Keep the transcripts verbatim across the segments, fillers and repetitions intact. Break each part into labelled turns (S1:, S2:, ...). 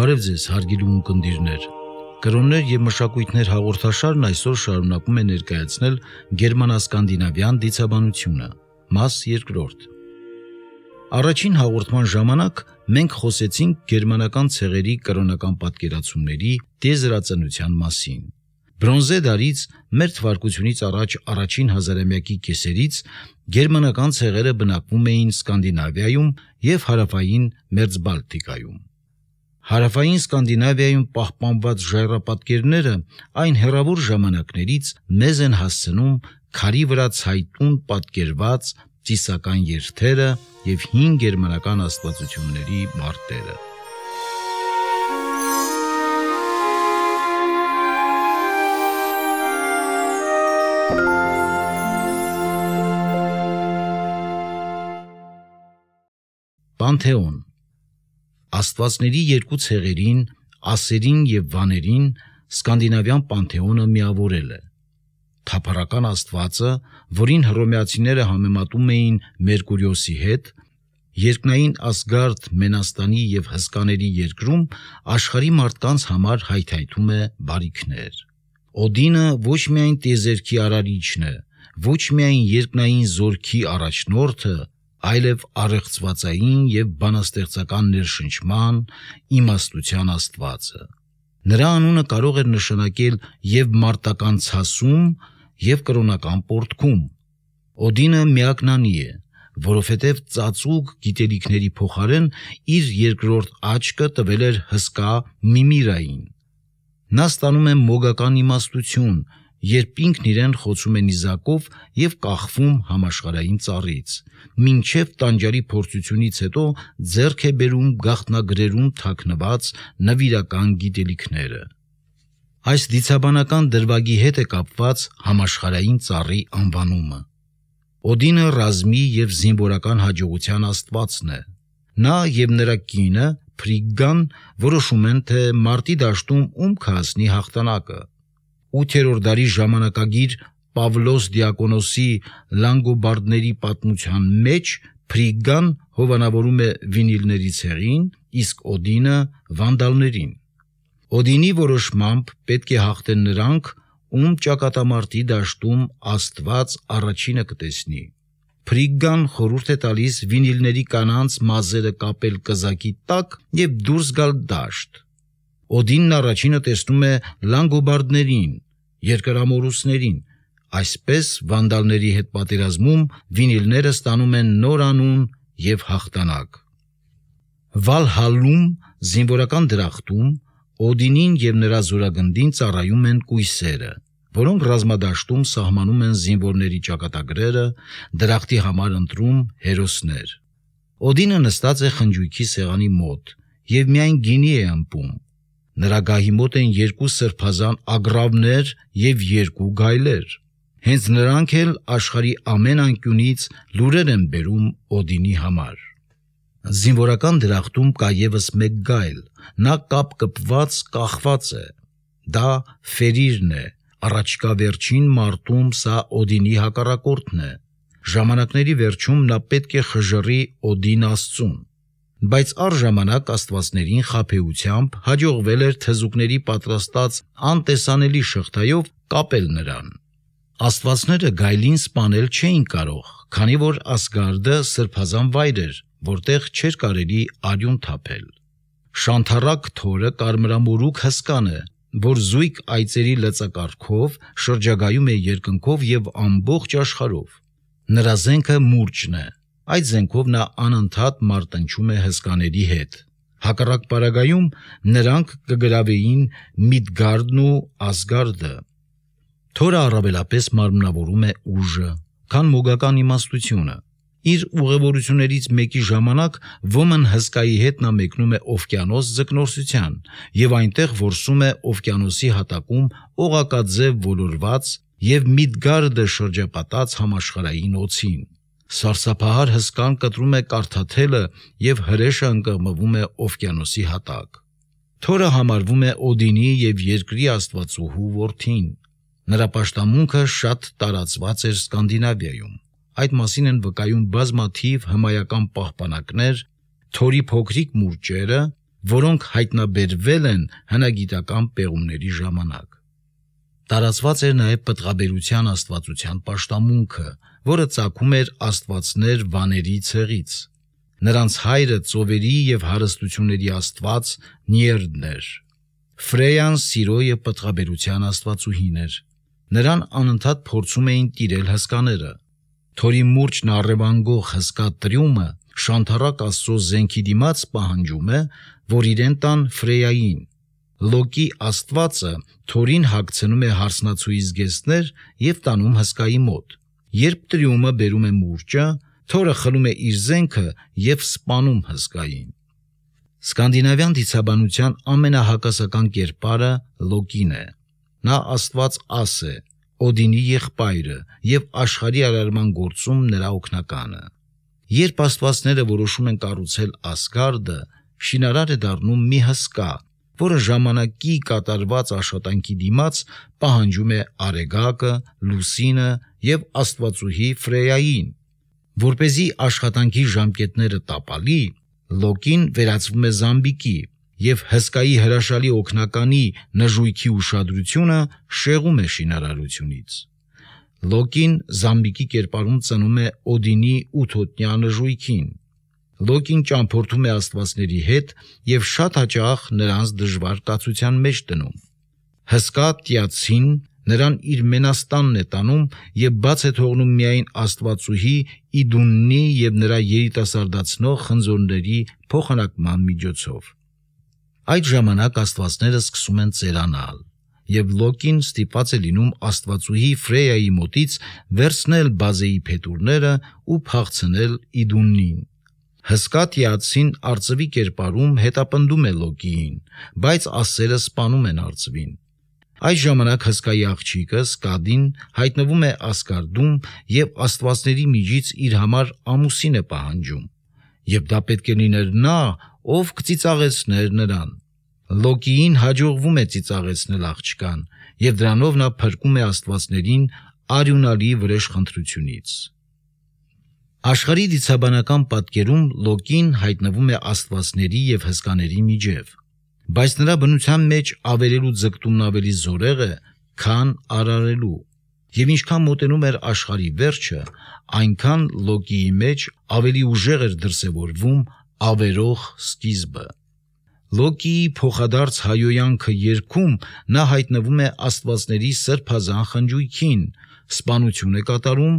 S1: Բարև ձեզ, հարգելի ունկնդիրներ։ Կրոններ և մշակույթներ հաղորդաշարն այսօր շարունակում է ներկայացնել գերմանա-սկանդինավյան դիցաբանությունը, մաս երկրորդ։ Առաջին հաղորդման ժամանակ մենք խոսեցինք գերմանական ցեղերի կրոնական պատկերացումների տիեզերածնության մասին։ Բրոնզե դարից մեր թվարկությունից առաջ առաջին հազարամյակի կեսերից գերմանական ցեղերը բնակվում էին Սկանդինավիայում և հարավային Մերձբալտիկայում։ Հարավային Սկանդինավիայում պահպանված ժայռապատկերները այն հեռավոր ժամանակներից մեզ են հասցնում քարի վրա ցայտուն պատկերված ծիսական երթերը և հին գերմանական աստվածությունների մարտերը։ Պանթեոն Աստվածների երկու ցեղերին, ասերին և վաներին, սկանդինավյան պանթեոնը միավորել է։ Թափառական աստվածը, որին հռոմեացիները համեմատում էին Մերկուրիոսի հետ, երկնային Ասգարդ, Մենաստանի և հսկաների երկրում աշխարհի մարդկանց համար հայթայթում է բարիքներ։ Օդինը ոչ միայն տիեզերքի արարիչն է, ոչ միայն երկնային զորքի առաջնորդը, այլև առեղծվածային և բանաստեղծական ներշնչման, իմաստության աստվածը։ Նրա անունը կարող էր նշանակել և մարտական ցասում, և կրոնական պոռթկում։ Օդինը միակնանի է, որովհետև ծածուկ գիտելիքների փոխարեն իր երկրորդ աչքը տվել էր հսկա Միմիրային։ Նա ստանում է մոգական իմաստություն, երբ ինքն իրեն խոցում է նիզակով և կախվում համաշխարհային ծառից, մինչև տանջարի փորձությունից հետո ձեռք է բերում գաղտնագրերում թաքնված նվիրական գիտելիքները։ Այս դիցաբանական դրվագի հետ է կապված համաշխարհային ծառի անվանումը։ Օդինը ռազմի և զինվորական հաջողության աստվածն է։ Նա և նրա կինը Ֆրիգգան որոշում են, թե մարտի դաշտում ում կհասնի հաղթանակը։ Ութերորդ դարի ժամանակագիր Պավլոս Դիակոնոսի Լանգոբարդների պատմության մեջ Ֆրիգգան հովանավորում է վինիլների ցեղին, իսկ Օդինը վանդալներին։ Օդինի որոշմամբ պետք է հաղթեն նրանք, ում ճակատամարտի դաշտում Աստված առաջինը կտեսնի։ Ֆրիգգան խորհուրդ է տալիս վինիլների կանանց մազերը կապել կզակի տակ և դուրս գալ դաշտ։ Օդինն առաջինը տեսնում է լանգոբարդներին, երկրամոլուսներին։ Այսպես վանդալների հետ պատերազմում վինիլները ստանում են նոր անուն և հաղթանակ։ Վալհալլում, զինվորական դրախտում, Օդինին և նրա զորագնդին ծառայում են կույսերը, որոնք ռազմադաշտում սահմանում են զինվորների ճակատագրերը, դրախտի համար ընտրում հերոսներ։ Օդինը նստած է խնջույքի սեղանի մոտ և միայն գինի է ըմպում։ Նրա գահի մոտ են երկու սրբազան ագռավներ և երկու գայլեր։ Հենց նրանք էլ աշխարհի ամեն անկյունից լուրեր են բերում Օդինի համար։ Զինվորական դրախտում կա ևս մեկ գայլ, նա կապ կպված կախված է։ Դա Ֆերիրն է, առաջիկա վերջին մարտում սա Օդինի հակառակորդն է։ Ժամանակների վերջում նա պետք է խժռի Օդին աստծուն։ Բայց առժամանակ աստվածներին խաբեությամբ հաջողվել էր թզուկների պատրաստած անտեսանելի շղթայով կապել նրան։ Աստվածները գայլին սպանել չէին կարող, քանի որ Ասգարդը սրբազան վայր էր, որտեղ չէր կարելի արյուն թափել։ Շանթառակ Թորը կարմրամորուք հսկան է, որ զույգ այծերի լծակարգով շրջագայում է երկնքով և ամբողջ աշխարհով։ Նրա զենքը մուրճն է։ Այդ զենքով նա անընդհատ մարտնչում է հսկաների հետ։ Հակառակ պարագայում նրանք կգրավեին Միդգարդն ու Ասգարդը։ Թորը առավելապես մարմնավորում է ուժը, քան մոգական իմաստությունը։ Իր ուղևորություններից մեկի ժամանակ ոմն հսկայի հետ նա մեկնում է օվկիանոս ձկնորսության և այնտեղ որսում է օվկիանոսի հատակում օղակաձև ոլորված և Միդգարդը շրջապատած համաշխարհային օձին։ Սարսափահար հսկան կտրում է կարթաթելը և հրեշը ընկղմվում է օվկիանոսի հատակ։ Թորը համարվում է Օդինի և երկրի աստվածուհու որդին։ Նրա պաշտամունքը շատ տարածված էր Սկանդինավիայում։ Այդ մասին են վկայում բազմաթիվ հմայական պահպանակներ, Թորի փոքրիկ մուրճերը, որոնք հայտնաբերվել են հնագիտական պեղումների ժամանակ։ Տարածված էր նաև պտղաբերության աստվածության պաշտամունքը, որը ծագում էր աստվածներ վաների ցեղից։ Նրանց հայրը ծովերի և հարստությունների աստված Նյերդն էր։ Ֆրեյան սիրո և պտղաբերության աստվածուհին էր։ Նրան անընդհատ փորձում էին տիրել հսկաները։ Թորի մուրճն առևանգող հսկա Տրյումը շանթառակ Աստծո զենքի դիմաց պահանջում է, որ իրեն տան Ֆրեյային։ Լոկի աստվածը Թորին հագցնում է հարսնացուի զգեստներ և տանում հսկայի մոտ։ Երբ Տրյումը բերում է մուրճը, Թորը խլում է իր զենքը և սպանում հսկային։ Սկանդինավյան դիցաբանության ամենահակասական կերպարը Լոկին է։ Նա աստված Աս է, Օդինի եղբայրը և աշխարհի արարման գործում նրա օգնականը։ Երբ աստվածները որոշում են կառուցել Ասգարդը, շինարար է դառնում մի հսկա, որը ժամանակի կատարված աշխատանքի դիմաց պահանջում է Արեգակը, Լուսինը և աստվածուհի Ֆրեյային։ Որպեսզի աշխատանքի ժամկետները տապալի, Լոկին վերածվում է զամբիկի և հսկայի հրաշալի օգնականի նժույգի ուշադրությունը շեղում է շինարարությունից։ Լոկին զամբիկի կերպարում ծնում է Օդինի ութոտնյա նժույգին։ Լոկին ճամփորդում է աստվածների հետ և շատ հաճախ նրանց դժվար կացության մեջ դնում։ Հսկա Տիացին նրան իր մենաստանն է տանում և բաց է թողնում միայն աստվածուհի Իդուննի և նրա երիտասարդացնող խնձորների փոխանակման միջոցով։ Այդ ժամանակ աստվածները սկսում են ծերանալ, և Լոկին ստիպված է լինում աստվածուհի Ֆրեյայի մոտից վերցնել բազեի փետուրները ու փախցնել Իդուննին։ Հսկա Տիացին արծվի կերպարում հետապնդում է Լոկիին, բայց ասերը սպանում են արծվին։ Այս ժամանակ հսկայի աղջիկը Սկադին հայտնվում է Ասգարդում և աստվածների միջից իր համար ամուսին է պահանջում, և դա պետք է լիներ նա, ով կծիծաղեցներ նրան։ Լոկիին հաջողվում է ծիծաղեցնել աղջկան, և դրանով նա փրկում է աստվածներին արյունալի վրեժխնդրությունից։ Աշխարհի դիցաբանական պատկերում Լոկին հայտնվում է աստվածների և հսկաների միջև, բայց նրա բնության մեջ ավերելու ձգտումն ավելի զորեղ է, քան արարելու, և ինչքան մոտենում էր աշխարհի վերջը, այնքան Լոկիի մեջ ավելի ուժեղ էր դրսևորվում ավերող սկիզբը։ Լոկիի փոխադարձ հայհոյանքը երգում նա հայտնվում է աստվածների սրբազան խնջույքին, սպանություն է կատարում,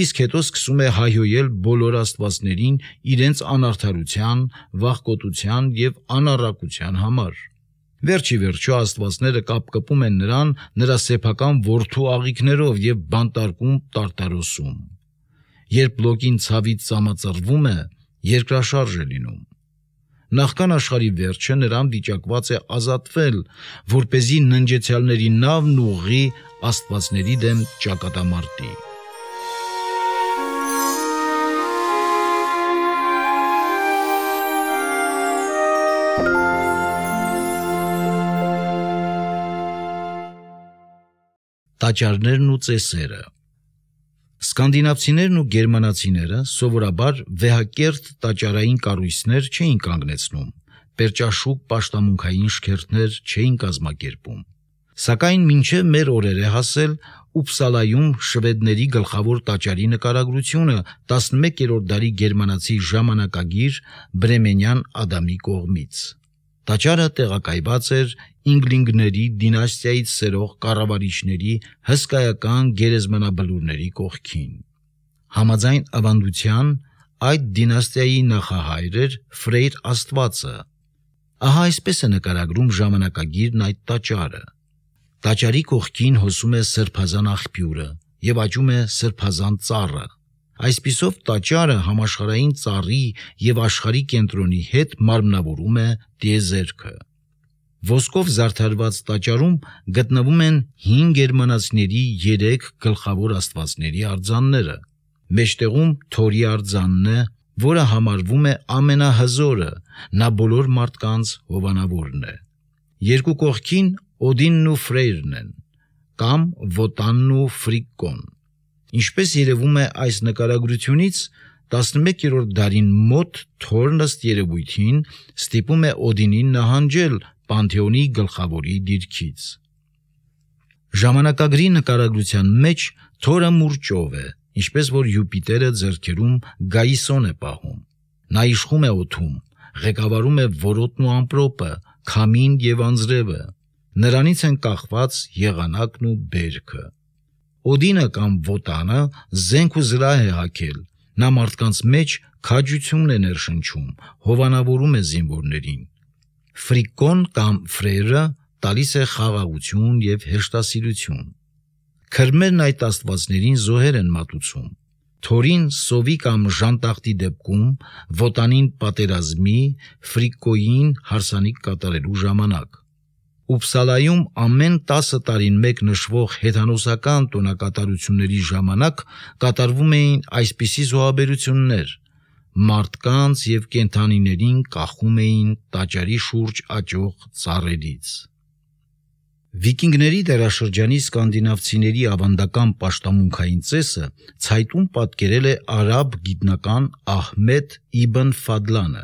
S1: իսկ հետո սկսում է հայհոյել բոլոր աստվածներին իրենց անարդարության, վախկոտության և անառակության համար։ Վերջ ի վերջո աստվածները կապկպում են նրան նրա սեփական որդու աղիքներով և բանտարկում Տարտարոսում։ Երբ Լոկին ցավից ծամածռվում է, երկրաշարժ է լինում։ Նախքան աշխարհի վերջը նրան վիճակված է ազատվել, որպեսզի ննջեցյալների նավն ուղղի աստվածների դեմ ճակատամարտի։ Տաճարներն ու ծեսերը։ Սկանդինավցիներն ու գերմանացիները սովորաբար վեհակերտ տաճարային կառույցներ չէին կանգնեցնում, պերճաշուք պաշտամունքային շքերթներ չէին կազմակերպում։ Սակայն մինչև մեր օրեր է հասել Ուպսալայում շվեդների գլխավոր տաճարի նկարագրությունը տասնմեկերորդ դարի գերմանացի ժամանակագիր Բրեմենյան Ադամի կողմից։ Տաճարը տեղակայված էր Ինգլինգների դինաստիայից սերող կառավարիչների հսկայական գերեզմանաբլուրների կողքին։ Համաձայն ավանդության, այդ դինաստիայի նախահայր էր Ֆրեյր աստվածը։ Ահա այսպես է նկարագրում ժամանակագիրն այդ տաճարը։ Տաճարի կողքին հոսում է սրբազան աղբյուրը և աճում է սրբազան ծառը։ Այսպիսով տաճարը համաշխարհային ծառի և աշխարհի կենտրոնի հետ մարմնավորում է տիեզերքը։ Ոսկով զարդարված տաճարում գտնվում են հին գերմանացիների երեք գլխավոր աստվածների արձանները։ Մեջտեղում Թորի արձանն է, որը համարվում է ամենահզորը, նա բոլոր մարդկանց հովանավորն է։ Երկու կողքին Օդինն ու Ֆրեյրն են, կամ Վոտանն ու Ֆրիկկոն։ Ինչպես երևում է այս նկարագրությունից, տասնմեկերորդ դարին մոտ Թորն ըստ երևույթին ստիպում է Օդինին նահանջել Պանթեոնի գլխավորի դիրքից։ Ժամանակագրի նկարագրության մեջ Թորը մուրճով է, ինչպես որ Յուպիտերը ձեռքերում Գայիսոն է պահում։ Նա իշխում է օդում, ղեկավարում է որոտն ու ամպրոպը, քամին եւ անձրևը։ Նրանից են կախված եղանակն ու բերքը։ Օդինը կամ Վոտանը զենք ու զրահ է հագել։ Նա մարդկանց մեջ քաջություն է ներշնչում, հովանավորում է զինվորներին։ Ֆրիկոն կամ Ֆրերը տալիս է խաղաղություն եւ հեշտասիրություն։ Քրմերն այդ աստվածներին զոհեր են մատուցում։ Թորին սովի կամ ժանտախտի դեպքում, Վոտանին պատերազմի, Ֆրիկոյին հարսանիք կատարելու ժամանակ։ Ուպսալայում ամեն տասը տարին մեկ նշվող հեթանոսական տոնակատարությունների ժամանակ կատարվում էին այսպիսի զոհաբերություններ։ Մարդկանց եւ կենդանիներին կախում էին տաճարի շուրջ աճող ծառերից։ Վիկինգների դարաշրջանի սկանդինավցիների ավանդական պաշտամունքային ծեսը ցայտուն պատկերել է արաբ գիտնական Ահմեդ Իբն Ֆադլանը։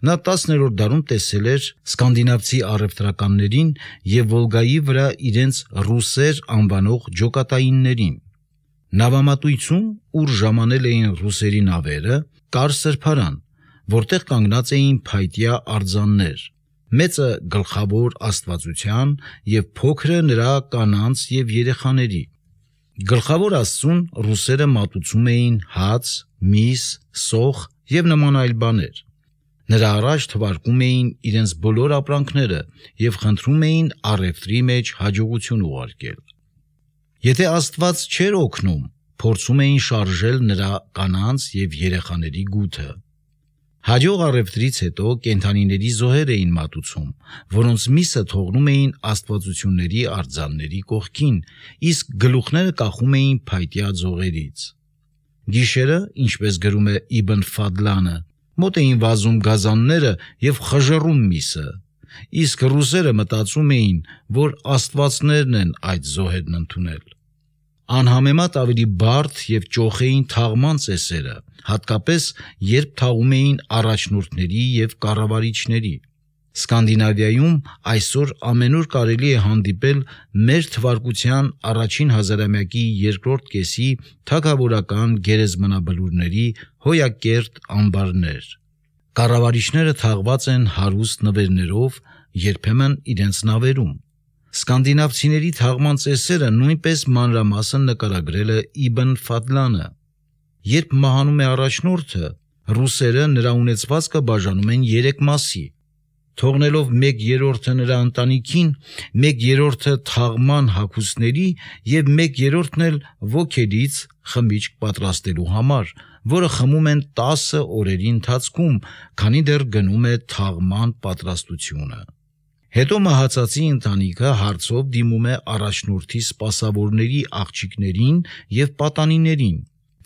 S1: Նա տասներորդ դարում տեսել էր սկանդինավցի առևտրականներին եւ Վոլգայի վրա իրենց ռուսեր անվանող ջոկատայիններին։ Նավամատույցում, ուր ժամանել էին ռուսերի նավերը, կար սրբարան, որտեղ կանգնած էին փայտյա արձաններ, մեծը գլխավոր աստվածության եւ փոքրը նրա կանանց եւ երեխաների։ Գլխավոր աստծուն ռուսերը մատուցում էին հաց, միս, սոխ եւ նման այլ բաներ։ Նրա առաջ թվարկում էին իրենց բոլոր ապրանքները եւ խնդրում էին առևտրի մեջ հաջողություն ուղարկել։ Եթե Աստված չէր օգնում, փորձում էին շարժել նրա կանանց եւ երեխաների գութը։ Հաջող առևտրից հետո կենդանիների զոհեր էին մատուցում, որոնց միսը թողնում էին աստվածությունների արձանների կողքին, իսկ գլուխները կախում էին փայտյա ձողերից։ Գիշերը, ինչպես գրում է Իբն Ֆադլանը, մոտ էին վազում գազանները եւ խժռում միսը, իսկ ռուսերը մտածում էին, որ աստվածներն են այդ զոհերն ընդունել։ Անհամեմատ ավելի բարդ եւ ճոխ էին թաղման ծեսերը, հատկապես երբ թաղում էին առաջնորդների եւ կառավարիչների։ Սկանդինավիայում այսօր ամենուր կարելի է հանդիպել մեր թվարկության առաջին հազարամյակի երկրորդ կեսի թագավորական գերեզմանաբլուրների հոյակերտ ամբարներ։ Կառավարիչները թաղված են հարուստ նվերներով, երբեմն իրենց նավերում։ Սկանդինավցիների թաղման ծեսերը նույնպես մանրամասն նկարագրել է Իբն Ֆադլանը։ Երբ մահանում է առաջնորդը, ռուսերը նրա ունեցվածքը բաժանում են երեք մասի, թողնելով մեկ երրորդը նրա ընտանիքին, մեկ երրորդը թաղման հագուստների եւ մեկ երրորդն էլ ոգելից խմիչք պատրաստելու համար, որը խմում են տասը օրերի ընթացքում, քանի դեռ գնում է թաղման պատրաստությունը։ Հետո մահացածի ընտանիքը հարցով դիմում է առաջնորդի սպասավորների աղջիկներին եւ պատանիներին,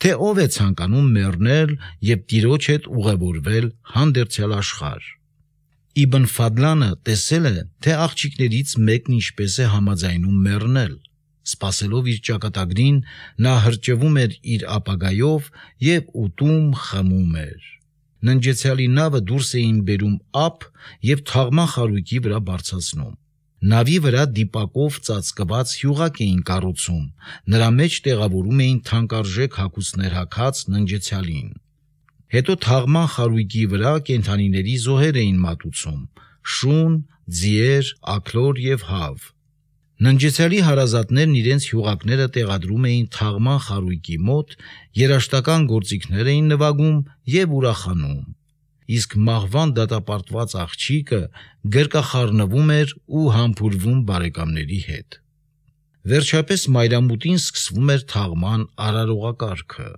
S1: թե ով է ցանկանում մեռնել եւ տիրոջ հետ ուղևորվել հանդերձյալ աշխարհ։ Իբն Ֆադլանը տեսել է, թե աղջիկներից մեկն ինչպես է համաձայնում մեռնել։ Սպասելով իր ճակատագրին, նա հրճվում էր իր ապագայով եւ ուտում խմում էր։ Ննջեցյալի նավը դուրս էին բերում ափ եւ թաղման խարույկի վրա բարձրացնում։ Նավի վրա դիպակով ծածկված հյուղակ էին կառուցում, նրա մեջ տեղավորում էին թանկարժեք հագուստներ հագած ննջեցյալին։ Հետո թաղման խարույկի վրա կենդանիների զոհեր էին մատուցում՝ շուն, ձիեր, աքլոր եւ հավ։ Ննջեցյալի հարազատներն իրենց հյուղակները տեղադրում էին թաղման խարույկի մոտ, երաշտական գործիքներ էին նվագում եւ ուրախանում, իսկ մահվան դատապարտված աղջիկը գրկախառնվում էր ու համբուրվում բարեկամների հետ։ Վերջապես մայրամուտին սկսվում էր թաղման արարողակարգը։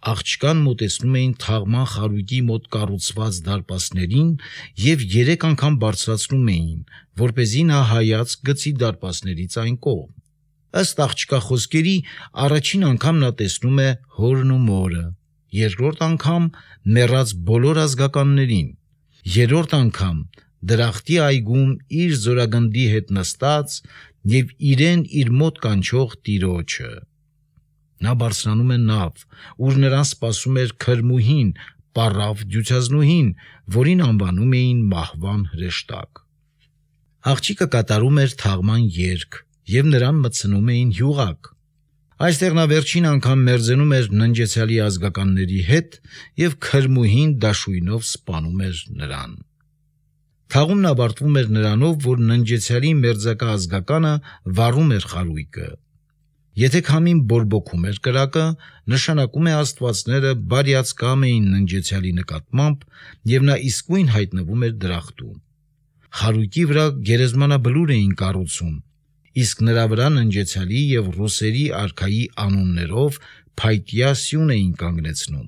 S1: Աղջկան մոտեցնում էին թաղման խարույկի մոտ կառուցված դարպասներին եւ երեք անգամ բարձրացնում էին, որպեսզի նա հայացք գցի դարպասներից այն կողմ։ Ըստ աղջկա խոսքերի, առաջին անգամ նա տեսնում է հորն ու մորը, երկրորդ անգամ մեռած բոլոր ազգականներին, երրորդ անգամ դրախտի այգում իր զորագնդի հետ նստած եւ իրեն իր մոտ կանչող տիրոջը։ Նա բարձրանում է նավ, ուր նրան սպասում էր քրմուհին, պառավ դյուցազնուհին, որին անվանում էին մահվան հրեշտակ։ Աղջիկը կատարում էր թաղման երգ, և նրան մտցնում էին յուղակ։ Այստեղ նա վերջին անգամ մերձենում էր ննջեցյալի ազգականների հետ և քրմուհին դաշույնով սպանում էր նրան։ Թաղումն ավարտվում էր նրանով, որ ննջեցյալի մերձակա ազգականը վառում էր խարույկը։ Եթե քամին բորբոքում էր կրակը, նշանակում է աստվածները բարյացկամ էին ննջեցյալի նկատմամբ, և նա իսկույն հայտնվում էր դրախտում։ Խարույկի վրա գերեզմանաբլուր էին կառուցում, իսկ նրա վրա ննջեցյալի և ռուսերի արքայի անուններով փայտյա սյուն էին կանգնեցնում։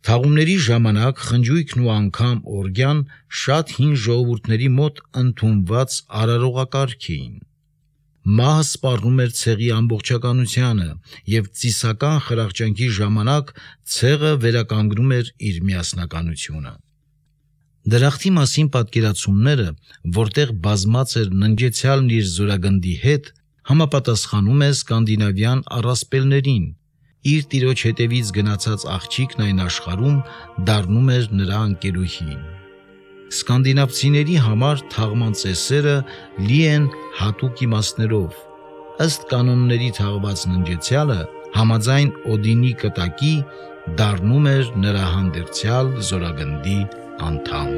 S1: Թաղումների ժամանակ խնջույքն ու անգամ օրգյան շատ հին ժողովուրդների մոտ ընդունված արարողակարգ էին։ Մահը սպառնում էր ցեղի ամբողջականությանը, և ծիսական խրախճանքի ժամանակ ցեղը վերականգնում էր իր միասնականությունը։ Դրախտի մասին պատկերացումները, որտեղ բազմած էր ննջեցյալն իր զորագնդի հետ, համապատասխանում է սկանդինավյան առասպելներին։ Իր տիրոջ հետևից գնացած աղջիկն այն աշխարհում դառնում էր նրա ընկերուհին։ Սկանդինավցիների համար թաղման ծեսերը լի են հատուկ իմաստներով։ Ըստ կանոնների թաղված ննջեցյալը համաձայն Օդինի կտակի դառնում էր նրա հանդերձյալ զորագնդի անդամ։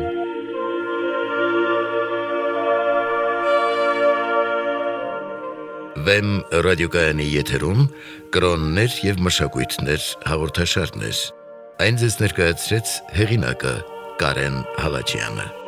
S2: Վեմ ռադիոկայանի եթերում կրոններ և մշակույթներ հաղորդաշարներ։ Այն ձեզ ներկայացրեց հեղինակը Կարեն Հալաջյանը։